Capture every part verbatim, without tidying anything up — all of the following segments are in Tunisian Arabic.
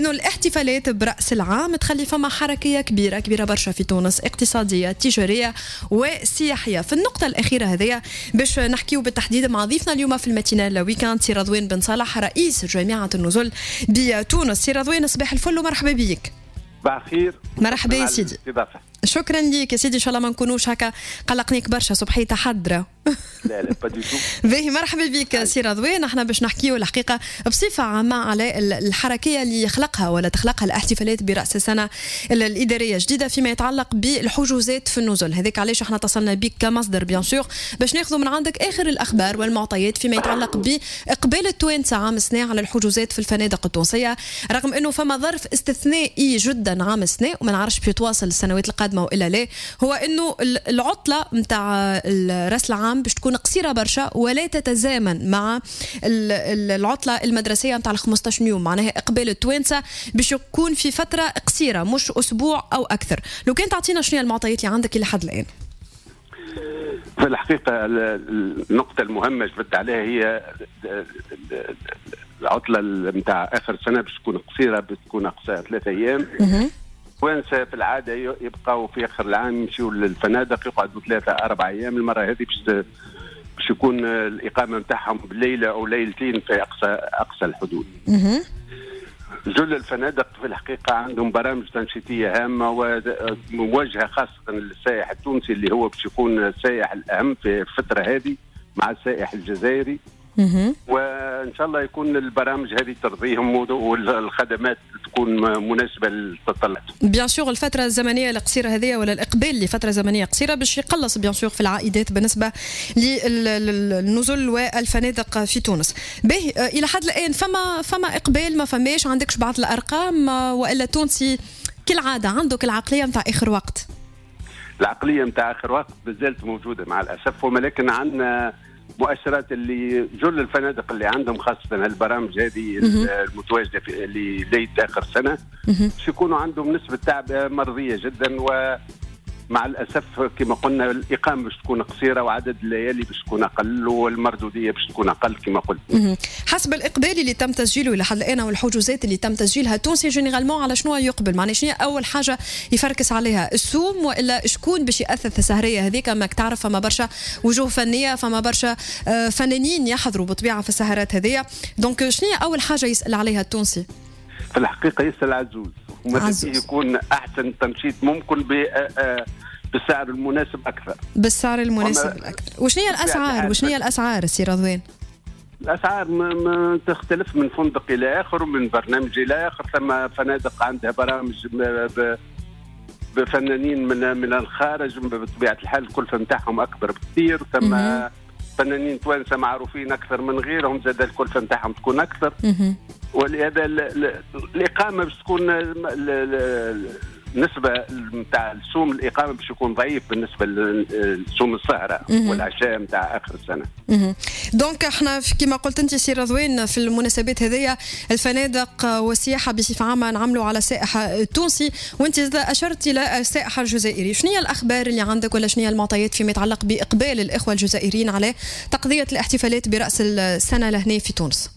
انه الاحتفالات براس العام تخلي فما حركية كبيرة كبيرة برشا في تونس، اقتصاديه، تجارية وسياحيه. في النقطة الاخيرة هذيا باش نحكيو بالتحديد مع ضيفنا اليوم في ال matinale week-end، سي رضوان بن صالح، رئيس جامعه النزل بتونس. سي رضوان، صباح الفل ومرحبا بك. صباح الخير. مرحبا يا سيدي. شكرا لك يا سيدي، ان شاء الله ما نكونوش هكا قلقنيك برشا، صبحية حضره. لا لا، pas du tout. باهي، مرحبا بك سي رضوان. احنا باش نحكيو الحقيقة بصفة عامة على الحركية اللي يخلقها ولا تخلقها الاحتفالات براس السنة الادارية الجديدة فيما يتعلق بالحجوزات في النزل. هذاك علاش احنا اتصلنا بك كمصدر bien sûr باش ناخذ من عندك اخر الاخبار والمعطيات فيما يتعلق باقبال التوانسة عام السنة على الحجوزات في الفنادق التونسيه، رغم انه فما ظرف استثنائي جدا عام السنة وما نعرفش باش يتواصل السنوات القادمة والا لا، هو انه العطلة نتاع راس العام باش تكون قصيرة برشا ولا تتزامن مع العطلة المدرسية نتاع خمسطاش يوم. معناها اقبال التوانسة باش يكون في فترة قصيره، مش اسبوع او اكثر. لو كان تعطينا شنو المعطيات اللي عندك الى حد الان؟ في الحقيقة النقطة المهمة جبت عليها هي العطلة نتاع اخر سنة باش تكون قصيره، باش تكون اقصاها ثلاثة ايام. توانسة في العادة يبقوا في اخر العام يمشيوا للفنادق، يقعدوا ثلاثه اربع ايام. المرة هذه باش باش يكون الاقامة نتاعهم بليلة او ليلتين في اقصى اقصى الحدود. جل الفنادق في الحقيقة عندهم برامج تنشيطيه هامة وموجهه خاصة للسائح التونسي، اللي هو باش يكون السائح الاهم في الفترة هذه مع السائح الجزائري. وان شاء الله يكون البرامج هذه ترضيهم والخدمات تكون مناسبة للتطلعات. bien sûr، الفترة الزمنية القصيرة هذه ولا الاقبال لفترة زمنية قصيرة باش يقلص bien sûr في العائدات بالنسبة للنزل والفنادق في تونس. باهي، الى حد الان فما فما اقبال ما فماش؟ عندكش بعض الارقام والا التونسي كالعادة عندك العقلية نتاع اخر وقت؟ العقلية نتاع اخر وقت مازالت موجودة مع الاسف، ولكن عندنا مؤشرات اللي جل الفنادق اللي عندهم خاصة البرامج هذه المتواجدة في اللي ليلة اخر سنة باش يكونوا عندهم نسبه تعبئة مرضية جدا. و مع الاسف كما قلنا الاقامة باش تكون قصيرة وعدد الليالي باش تكون اقل والمردوديه باش تكون اقل كما قلت. حسب الاقبال اللي تم تسجيله لحد الان والحجوزات اللي تم تسجيلها، التونسي généralement على شنو يقبل؟ معناها شنو اول حاجة يفركس عليها؟ السوم والا شكون باش ياثث السهريه هذيك؟ ماك تعرف فما برشا وجوه فنيه، فما برشا آه، فنانين يحضروا بطبيعة في السهرات هذيا، donc شنو اول حاجة يسال عليها التونسي؟ في الحقيقة يسال على الزوز، وماذا يكون احسن تنشيط ممكن ب آه، آه، بالسعر المناسب اكثر. بالسعر المناسب اكثر. وشنو هي الاسعار؟ وشنو هي الاسعار سي رضوان؟ الاسعار ما, ما تختلف من فندق الى اخر ومن برنامج الى اخر. ثم فنادق عندها برامج بفنانين من من الخارج، بطبيعة الحال الكلفة نتاعهم اكبر بكثير. ثم فنانين توانسة معروفين اكثر من غيرهم، زاد الكلفة نتاعهم تكون اكثر. ولهذا الاقامة باش تكون النسبة نتاع السوم الاقامة باش يكون ضعيف بالنسبة لسوم السهرة والعشاء نتاع اخر السنه. donc احنا كما قلت انت سي رضوان، في المناسبات هذيا الفنادق والسياحة بصفة عامة نعملوا على السائح التونسي، وانت اشرت الى السائح الجزائري. شنو هي الاخبار اللي عندك ولا شنو هي المعطيات فيما يتعلق باقبال الاخوة الجزائريين على تقضيه الاحتفالات براس السنة لهنا في تونس؟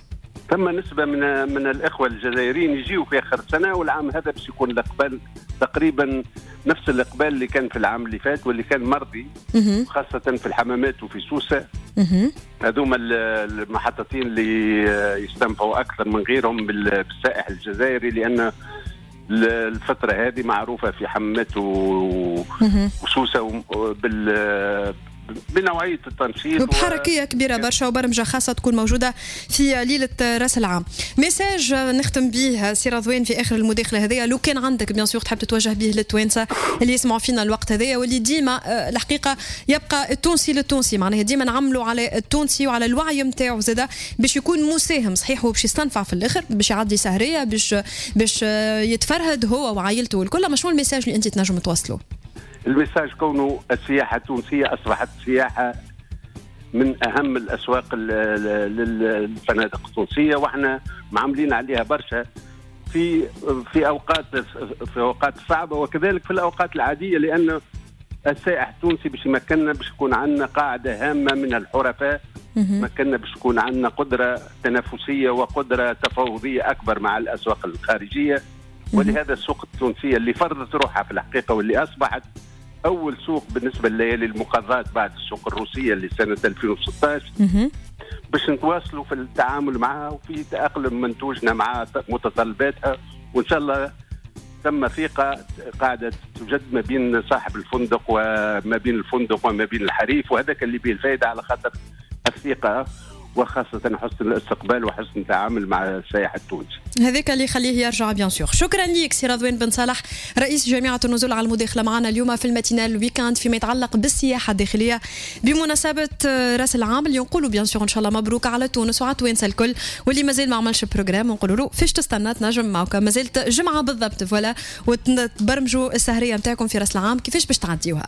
ثم نسبة من من الإخوة الجزائريين يجيوا في آخر سنة، والعام هذا باش يكون الإقبال تقريبا نفس الإقبال اللي كان في العام اللي فات واللي كان مرضي، خاصة في الحمامات وفي سوسة. هذوما المحطتين اللي يستنفعوا أكثر من غيرهم بالسائح الجزائري، لأن الفترة هذه معروفة في حمامات وسوسة بال بنوعيه التنشيط. وبحركيه كبيرة برشا وبرمجه خاصة تكون موجودة في ليلة راس العام. message نختم به سي رضوان في اخر المداخلة هذيا، لو كان عندك bien sûr تحب تتوجه به للتوانسه اللي يسمعوا فينا الوقت هذايا واللي ديما آه، الحقيقة يبقى التونسي للتونسي، معناها ديما نعملوا على التونسي وعلى الوعي نتاعو زاده باش يكون مساهم. صحيح هو باش يستنفع في الاخر، باش يعدي سهريه، باش باش يتفرهد هو وعائلته والكل. ما شنو ال message اللي انت تنجم توصله؟ ال message كونه السياحة التونسية أصبحت سياحة من أهم الأسواق للفنادق التونسية، وإحنا معاملين عليها برشا في في اوقات في اوقات صعبة وكذلك في الاوقات العاديه، لان السائح التونسي باش يمكننا باش يكون عندنا قاعدة هامة من الحرفاء. ما كنا باش تكون عندنا قدره تنافسية وقدره تفاوضيه اكبر مع الاسواق الخارجيه. ولهذا السوق التونسية اللي فرضت روحها في الحقيقة واللي اصبحت اول سوق بالنسبة لليالي المقضات بعد السوق الروسية اللي سنة ألفين وستة عشر، باش نتواصلوا في التعامل معها وفي تاقلم منتوجنا مع متطلباتها. وان شاء الله ثم ثقة قاعدة توجد ما بين صاحب الفندق وما بين الفندق وما بين الحريف، وهذاك اللي به الفائده، على خاطر الثقة وخاصة حسن الاستقبال وحسن التعامل مع السائح التونسي. هذاك اللي يخليه يرجع bien sûr. شكرا لك سي رضوان بن صالح، رئيس جامعة النزول، على المداخلة معنا اليوم في ال matinale week-end فيما يتعلق بالسياحة الداخلية بمناسبة راس العام، اللي نقولوا bien sûr ان شاء الله مبروك على تونس وعلى التوانسة الكل. واللي مازال ما عملش programme نقولوا له فاش تستنى؟ تنجم معك مازالت جمعة بالضبط، voilà، وتبرمجوا السهرية نتاعكم في راس العام كيفاش باش تعديوها.